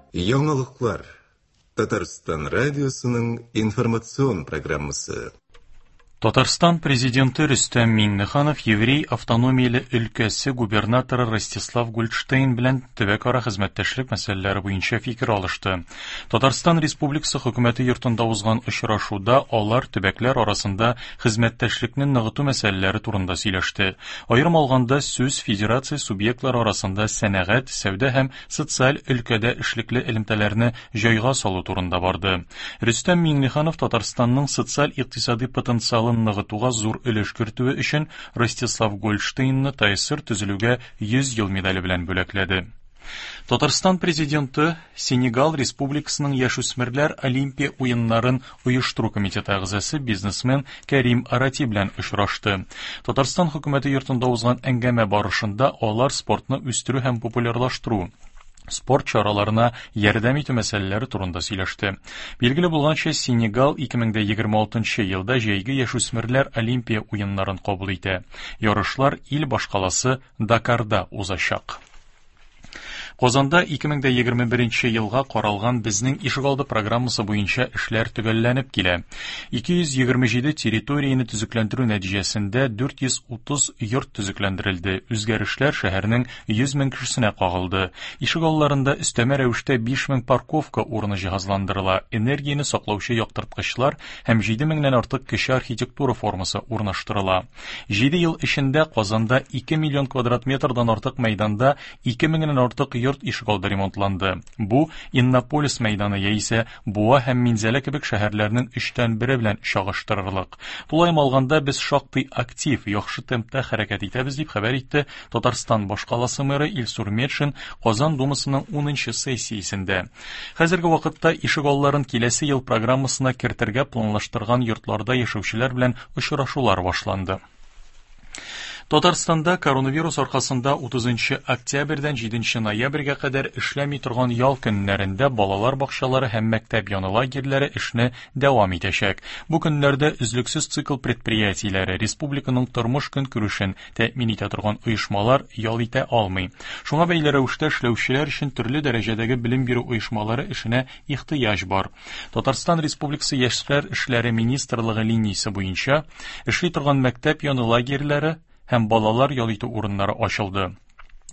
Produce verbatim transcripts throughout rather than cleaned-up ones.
Яңалыклар. Татарстан радиосының информацион программасы. Татарстан президенты Рөстәм Миңнеханов Еврей автономияле өлкәсе губернаторы Ростислав Гольдштейн белән төбәкара хезмәттәшлек мәсьәләләре буенча фикер алышты. Татарстан Республикасы хөкүмәте йортында узган очрашуда алар төбәкләр арасында хезмәттәшлекне ныгыту мәсьәләләре турында сөйләште. Аерым алганда, сүз федерация субъектлары арасында сәнәгать, сәүдә һәм социаль өлкәдә эшлекле элемтәләрне җайга салу турында барды. Рөстәм Миңнеханов Татарстанның социаль-икътисади потенциалын ныгытуга зур өлеш кертүе өчен Ростислав Гольдштейнны Т А С С Р төзелүгә йөз ел медале белән бүләкләде. Татарстан президенты Сенегал Республикасының яшүсмерләр Олимпия уеннарын оештыру комитеты әгъзасы, бизнесмен Кәрим Арати белән очрашты. Татарстан хөкүмәте йортында узган әңгәмә барышында алар спортны үстерү һәм популярлаштыру, спорт чараларына ярдәм итү мәсьәләләре турында сөйләште. Билгеле булганча, Сенегал ике мең егерме алтынчы елда җәйге яшүсмерләр Олимпия уеннарын кабул итә. Ярышлар ил башкаласы Дакарда узачак. Казанда ике мең егерме беренче елга каралган «Безнең ишегалды» программасы буенча эшләр төгәлләнеп килә. ике йөз егерме җиде территорияне төзекләндерү нәтиҗәсендә дүрт йөз утыз йорт төзекләндерелде. Үзгәрешләр шәһәрнең йөз мең кешесенә кагылды. Ишегалларында өстәмә рәвештә биш мең парковка урыны җиһазландырыла, энергияне саклаучы яктырткычлар һәм җиде меңнән артык кече архитектура формасы урнаштырыла. җиде ел эчендә Казанда ике миллион квадрат метрдан артык мәйданда ике меңнән артык йорт ишегалды ремонтланды. Бу Иннополис мәйданы яисә Буа һәм Минзәлә кебек шәһәрләрнең өчтән бере белән чагыштырырлык. Тулаем алганда, без шактый актив, яхшы темпта хәрәкәт итәбез, дип хәбәр итте Татарстан башкаласы мэры Илсур Метшин Казан Думасының унынчы сессиясендә. Хәзерге вакытта ишегалларын киләсе ел программасына кертергә планлаштырган йортларда яшәүчеләр белән очрашулар башланды. Татарстанда коронавирус аркасында утызынчы октябрьдән җиденче ноябрьгә кадәр эшләми торган ял көннәрендә балалар бакчалары һәм мәктәп яны лагерьлары эшне дәвам итәчәк. Бу көннәрдә өзлексез цикл предприятиеләре, республиканың тормыш көнкүрешен тәэмин итә торган оешмалар ял итә алмый. Шуңа бәйле рәвештә эшләүчеләр өчен төрле дәрәҗәдәге белем бирү оешмалары эшенә ихтыяҗ бар. Татарстан Республикасы Яшьләр эшләре министрлыгы линиясе буенча эшли торган мәктәп яны лагерьлары һәм балалар ял итү урыннары ачылды.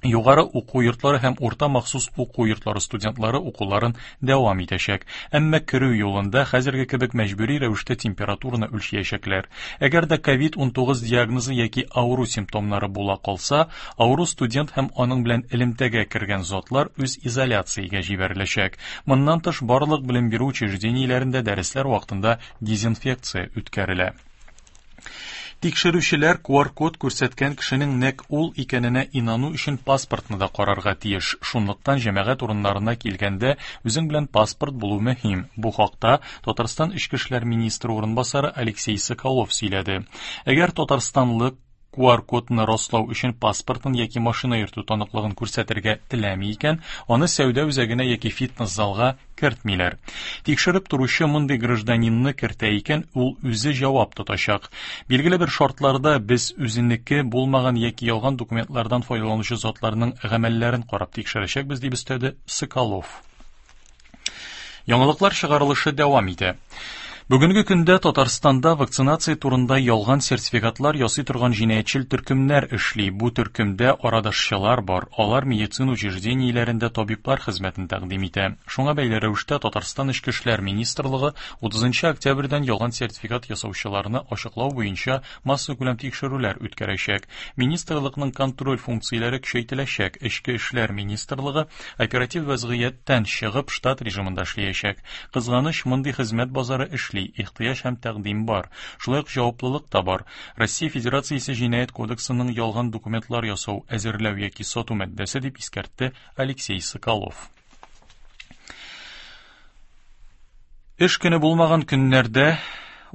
Югары уку йортлары һәм урта махсус уку йортлары студентлары укуларын дәвам итәчәк. Әмма керү юлында хәзерге кебек мәҗбүри рәвештә температураны үлчәячәкләр. Әгәр дә ковид унтугыз диагнозы яки авыру симптомнары була калса, авыру студент һәм аның белән элемтәгә кергән затлар үз изоляциягә җибәреләчәк. Моннан тыш, барлык белем бирү учреждениеләрендә дәресләр вакытында дезинфекция үткәрелә. Тикшерүчеләр Q R код күрсәткән кешенең нәкъ ул икәненә инану өчен паспортны да карарга тиеш. Шунлыктан җәмәгать урыннарына килгәндә үзең белән паспорт булу мөһим. Бу хакта Татарстан Эчке эшләр министры урынбасары Алексей Соколов сөйләде. Әгәр татарстанлы Q R кодны раслау өчен паспортын яки машина йөртү таныклыгын күрсәтергә теләми икән, аны сәүдә үзәгенә яки фитнес-залга кертмиләр. Тикшереп торучы мондый гражданинны кертә икән, ул үзе җавап тотачак. Билгеле бер шартларда без үзенеке булмаган яки ялган документлардан файдаланучы затларның гамәлләрен карап тикшерәчәкбез, дип өстәде Соколов. Яңалыклар чыгарылышы дәвам итә. Бүгенге көндә Татарстанда вакцинация турында ялган сертификатлар ясый торган җинаятьчел төркемнәр эшли. Бу төркемдә арадашчылар бар. Алар медицина учреждениеләрендә табиблар хезмәтен тәкъдим итә. Шуңа бәйле рәвештә Татарстан Эчке эшләр министрлыгы утызынчы октябрьдән ялган сертификат ясаучыларны ачыклау буенча массакүләм тикшерүләр үткәрәчәк. Министрлыкның контроль функцияләре көчәйтеләчәк. Эчке эшләр министрлыгы оператив вазгыятьтән чыгып штат режимында эшләячәк. Кызганыч, мондый хезмәт базары эшли, ихтыяҗ һәм тәкъдим бар. Шулай ук җаваплылык та бар. Россия Федерациясе Җинаять кодексының ялган документлар ясау, әзерләү яки сату маддәсе, дип искәртте Алексей Соколов. Эш көне булмаган көннәрдә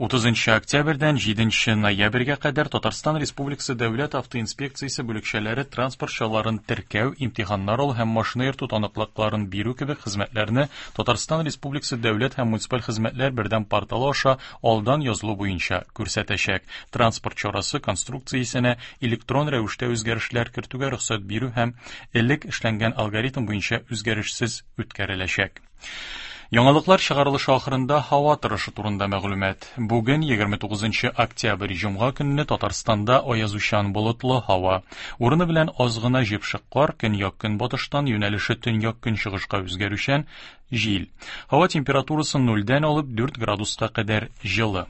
Утызынчы октябрьдән җиденче ноябрьгә кадәр Татарстан Республикасы Дәүләт автоинспекциясе бүлекчәләре транспорт чараларын теркәү, имтиханнар алу һәм машина йөртү таныклыкларын бирү кебек хезмәтләрне Татарстан Республикасы Дәүләт һәм муниципаль хезмәтләр бердәм порталы аша алдан язылу буенча күрсәтәчәк. Транспорт чарасы конструкциясенә электрон рәвештә үзгәрешләр кертүгә рөхсәт бирү һәм элек эшләнгән алгоритм буенча үзгәрешсез үткәреләчәк. Яңалыклар чыгарылышы ахырында һава торышы турында мәгълүмат. Бүген егерме тугызынчы октябрь җомга көнне Татарстанда аязучан болытлы һава. Урыны белән аз гына җепшек кар, көньяк-көнбатыштан юнәлеше төньяк-көнчыгышка үзгәрүчән җил. Һава температурасы нульдән алып дүрт градуска кадәр җылы.